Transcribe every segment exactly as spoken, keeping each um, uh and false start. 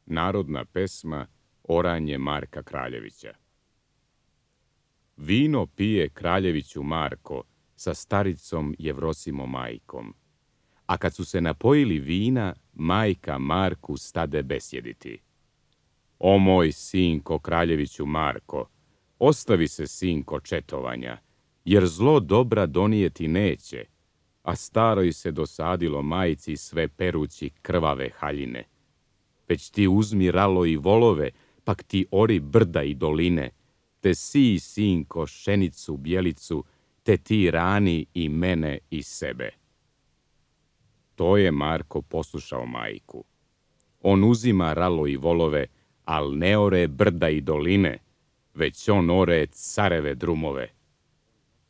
Narodna pesma Oranje Marka Kraljevića. Vino pije Kraljeviću Marko sa staricom Jevrosimom majkom. A kad su se napojili vina, majka Marku stade besjediti. O moj sinko Kraljeviću Marko, ostavi se sinko četovanja, jer zlo dobra donijeti neće, a staroj se dosadilo majci sve perući krvave haljine. Već ti uzmi ralo i volove, pak ti ori brda i doline, te sij, sinko, šenicu, bjelicu, te ti rani i mene i sebe. To je Marko poslušao majku. On uzima ralo i volove, al ne ore brda i doline, već on ore careve drumove.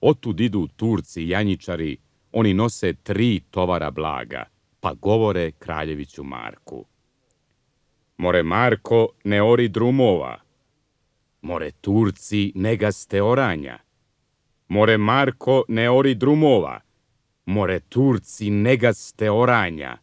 Otud idu Turci i janjičari, oni nose tri tovara blaga, pa govore Kraljeviću Marku. More Marko, ne ori drumova. More Turci, ne gaste oranja. More Marko, ne ori drumova. More Turci, ne gaste oranja.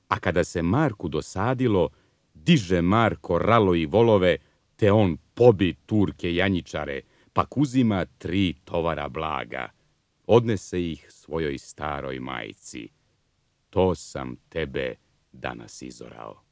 A kada se Marku dosadilo, diže Marko ralo i volove, te on pobi Turke janjičare, pak uzima tri tovara blaga. Odnese ih svojoj staroj majci. To sam tebe danas izorao.